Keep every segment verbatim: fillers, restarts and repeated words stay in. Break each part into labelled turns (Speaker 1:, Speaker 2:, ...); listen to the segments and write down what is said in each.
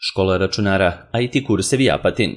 Speaker 1: Škola računara I T kursevi Apatin.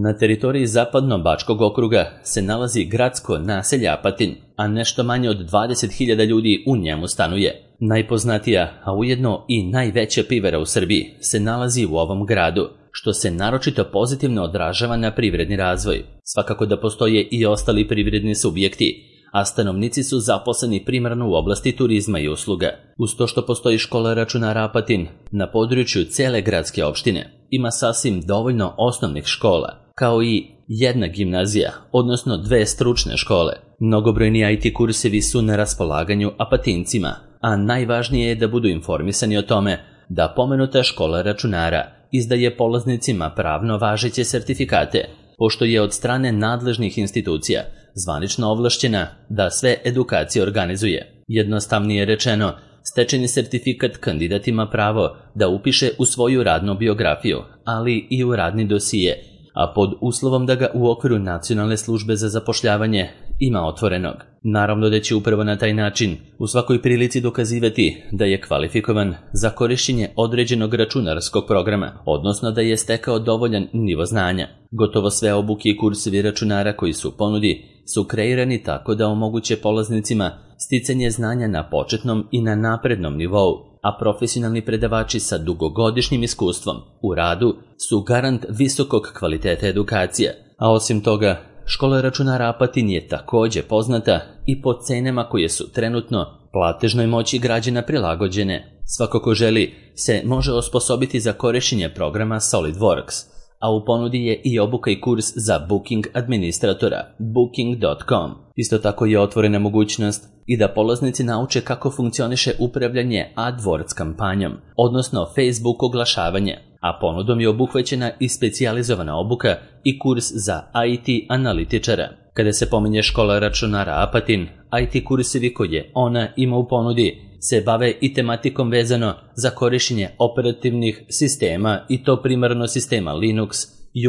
Speaker 1: Na teritoriji Zapadno-Bačkog okruga se nalazi gradsko naselje Apatin, a nešto manje od dvadeset hiljada ljudi u njemu stanuje. Najpoznatija, a ujedno i najveća pivara u Srbiji se nalazi u ovom gradu, što se naročito pozitivno odražava na privredni razvoj. Svakako da postoje i ostali privredni subjekti, a stanovnici su zaposleni primarno u oblasti turizma i usluga. Uz to što postoji škola računara Apatin, na području cele gradske opštine ima sasvim dovoljno osnovnih škola, kao i jedna gimnazija, odnosno dve stručne škole. Mnogobrojni I T kursevi su na raspolaganju Apatincima, a najvažnije je da budu informisani o tome da pomenuta škola računara izdaje polaznicima pravno važeće sertifikate, pošto je od strane nadležnih institucija zvanično ovlašćena da sve edukacije organizuje. Jednostavnije rečeno, stečeni sertifikat kandidat ima pravo da upiše u svoju radnu biografiju, ali i u radni dosije, a pod uslovom da ga u okviru Nacionalne službe za zapošljavanje ima otvorenog. Naravno da će upravo na taj način u svakoj prilici dokazivati da je kvalifikovan za korišćenje određenog računarskog programa, odnosno da je stekao dovoljan nivo znanja. Gotovo sve obuke i kursevi računara koji su u ponudi su kreirani tako da omoguće polaznicima sticanje znanja na početnom i na naprednom nivou, a profesionalni predavači sa dugogodišnjim iskustvom u radu su garant visokog kvaliteta edukacije. A osim toga, škola računara Apatin je takođe poznata i po cenama koje su trenutno platežnoj moći građana prilagođene. Svako ko želi se može osposobiti za korišćenje programa SolidWorks, a u ponudi je i obuka i kurs za booking administratora booking dot com. Isto tako je otvorena mogućnost i da polaznici nauče kako funkcioniše upravljanje AdWords kampanjom, odnosno Facebook oglašavanje, a ponudom je obuhvaćena i specijalizovana obuka i kurs za I T analitičara. Kada se pominje škola računara Apatin, I T kursevi koje ona ima u ponudi se bave i tematikom vezano za korišćenje operativnih sistema, i to primarno sistema Linux,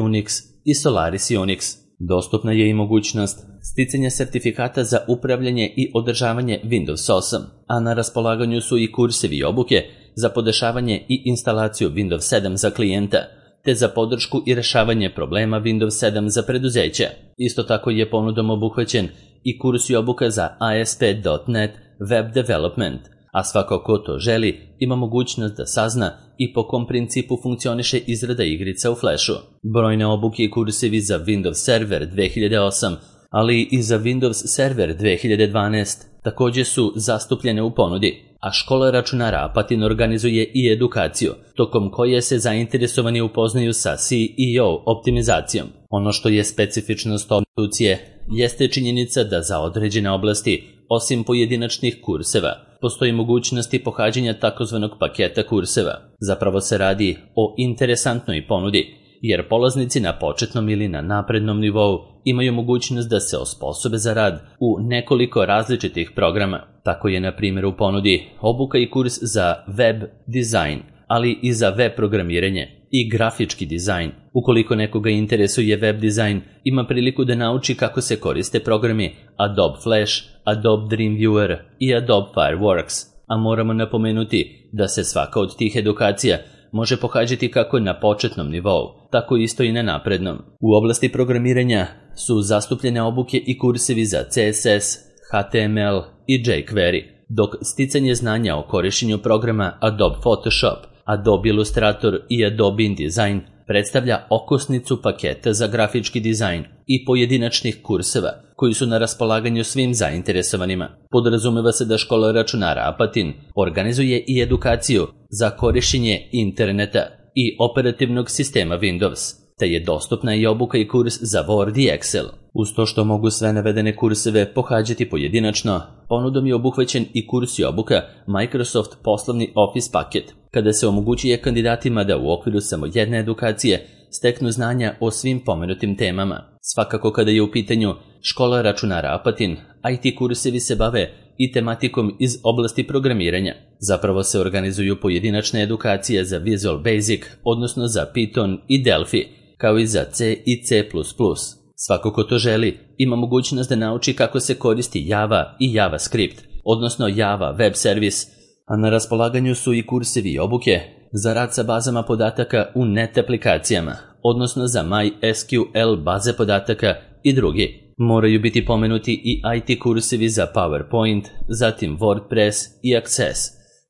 Speaker 1: Unix i Solaris Unix. Dostupna je i mogućnost sticanja sertifikata za upravljanje i održavanje Windows osam, a na raspolaganju su i kursevi i obuke za podešavanje i instalaciju Windows sedam za klijenta, te za podršku i rešavanje problema Windows sedam za preduzeća. Isto tako je ponudom obuhvaćen i kurs i obuka za A S P dot net Web Development, a svako ko to želi ima mogućnost da sazna i po kom principu funkcioniše izrada igrica u Flashu. Brojne obuke i kursevi za Windows Server dve hiljade osam, ali i za Windows Server dve hiljade dvanaest takođe su zastupljene u ponudi, a škola računara Apatin organizuje i edukaciju, tokom koje se zainteresovani upoznaju sa C E O optimizacijom. Ono što je specifičnost ove institucije jeste činjenica da za određene oblasti, osim pojedinačnih kurseva, postoji mogućnosti pohađanja takozvanog paketa kurseva. Zapravo se radi o interesantnoj ponudi, jer polaznici na početnom ili na naprednom nivou imaju mogućnost da se osposobe za rad u nekoliko različitih programa. Tako je na primjer u ponudi obuka i kurs za web dizajn, ali i za web programiranje i grafički dizajn. Ukoliko nekoga interesuje web dizajn, ima priliku da nauči kako se koriste programi Adobe Flash, Adobe Dreamweaver i Adobe Fireworks. A moramo napomenuti da se svaka od tih edukacija može pohađati kako na početnom nivou, tako isto i na naprednom. U oblasti programiranja su zastupljene obuke i kursevi za C S S, H T M L i jQuery, dok sticanje znanja o korišćenju programa Adobe Photoshop, Adobe Illustrator i Adobe InDesign predstavlja okosnicu paketa za grafički dizajn i pojedinačnih kurseva koji su na raspolaganju svim zainteresovanima. Podrazumeva se da škola računara Apatin organizuje i edukaciju za korišćenje interneta i operativnog sistema Windows, te je dostupna i obuka i kurs za Word i Excel. Uz to što mogu sve navedene kurseve pohađati pojedinačno, ponudom je obuhvaćen i kurs i obuka Microsoft poslovni Office paket, kada se omogućuje kandidatima da u okviru samo jedne edukacije steknu znanja o svim pomenutim temama. Svakako kada je u pitanju škola računara Apatin, I T kursevi se bave i tematikom iz oblasti programiranja. Zapravo se organizuju pojedinačne edukacije za Visual Basic, odnosno za Python i Delphi, kao i za C i C plus plus. Svako ko to želi ima mogućnost da nauči kako se koristi Java i JavaScript, odnosno Java Web Service, a na raspolaganju su i kursevi i obuke za rad sa bazama podataka u net aplikacijama, odnosno za MySQL baze podataka i drugi. Moraju biti pomenuti i I T kursevi za PowerPoint, zatim WordPress i Access,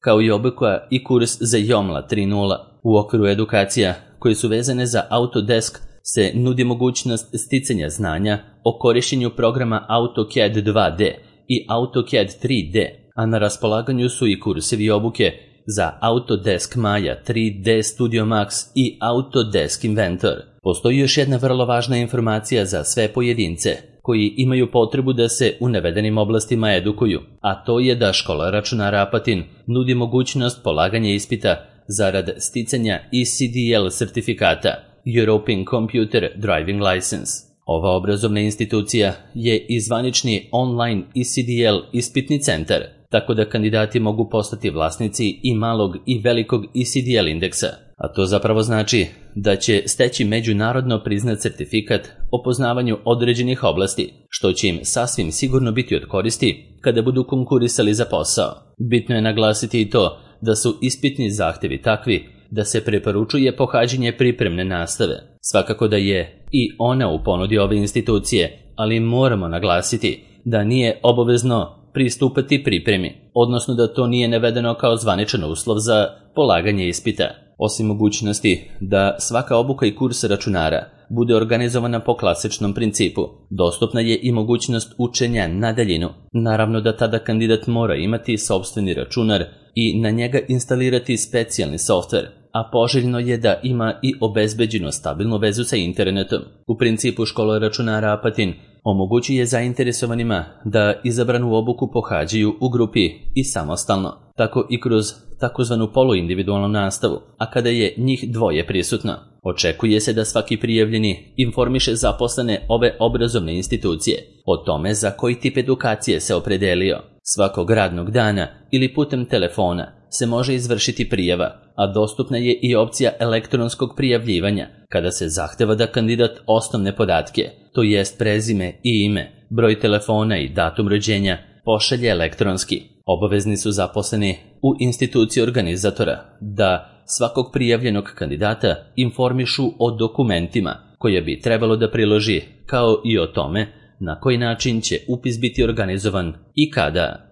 Speaker 1: kao i obuka i kurs za Joomla tri nula. U okviru edukacija koje su vezane za Autodesk se nudi mogućnost sticanja znanja o korištenju programa AutoCAD dva D i AutoCAD tri D, a na raspolaganju su i kursevi i obuke za Autodesk Maya tri D Studio Max i Autodesk Inventor. Postoji još jedna vrlo važna informacija za sve pojedince koji imaju potrebu da se u navedenim oblastima edukuju, a to je da Škola računara Apatin nudi mogućnost polaganja ispita zarad sticanja E C D L sertifikata, European Computer Driving License. Ova obrazovna institucija je i zvanični online E C D L ispitni centar, tako da kandidati mogu postati vlasnici i malog i velikog E C D L indeksa, a to zapravo znači da će steći međunarodno priznat sertifikat o poznavanju određenih oblasti, što će im sasvim sigurno biti od koristi kada budu konkurisali za posao. Bitno je naglasiti i to da su ispitni zahtevi takvi da se preporučuje pohađanje pripremne nastave. Svakako da je i ona u ponudi ove institucije, ali moramo naglasiti da nije obavezno pristupati pripremi, odnosno da to nije navedeno kao zvaničan uslov za polaganje ispita. Osim mogućnosti da svaka obuka i kurs računara bude organizovana po klasičnom principu, dostupna je i mogućnost učenja na daljinu. Naravno da tada kandidat mora imati sopstveni računar i na njega instalirati specijalni softver, a poželjno je da ima i obezbeđenu stabilnu vezu sa internetom. U principu Škola računara Apatin omogućuje zainteresovanima da izabranu obuku pohađaju u grupi i samostalno, tako i kroz takozvanu poluindividualnu nastavu, a kada je njih dvoje prisutno. Očekuje se da svaki prijavljeni informiše zaposlene ove obrazovne institucije o tome za koji tip edukacije se opredelio. Svakog radnog dana ili putem telefona se može izvršiti prijava, a dostupna je i opcija elektronskog prijavljivanja, kada se zahteva da kandidat osnovne podatke, to jest prezime i ime, broj telefona i datum rođenja, pošalje elektronski. Obavezni su zaposleni u instituciji organizatora da svakog prijavljenog kandidata informišu o dokumentima koje bi trebalo da priloži, kao i o tome na koji način će upis biti organizovan i kada.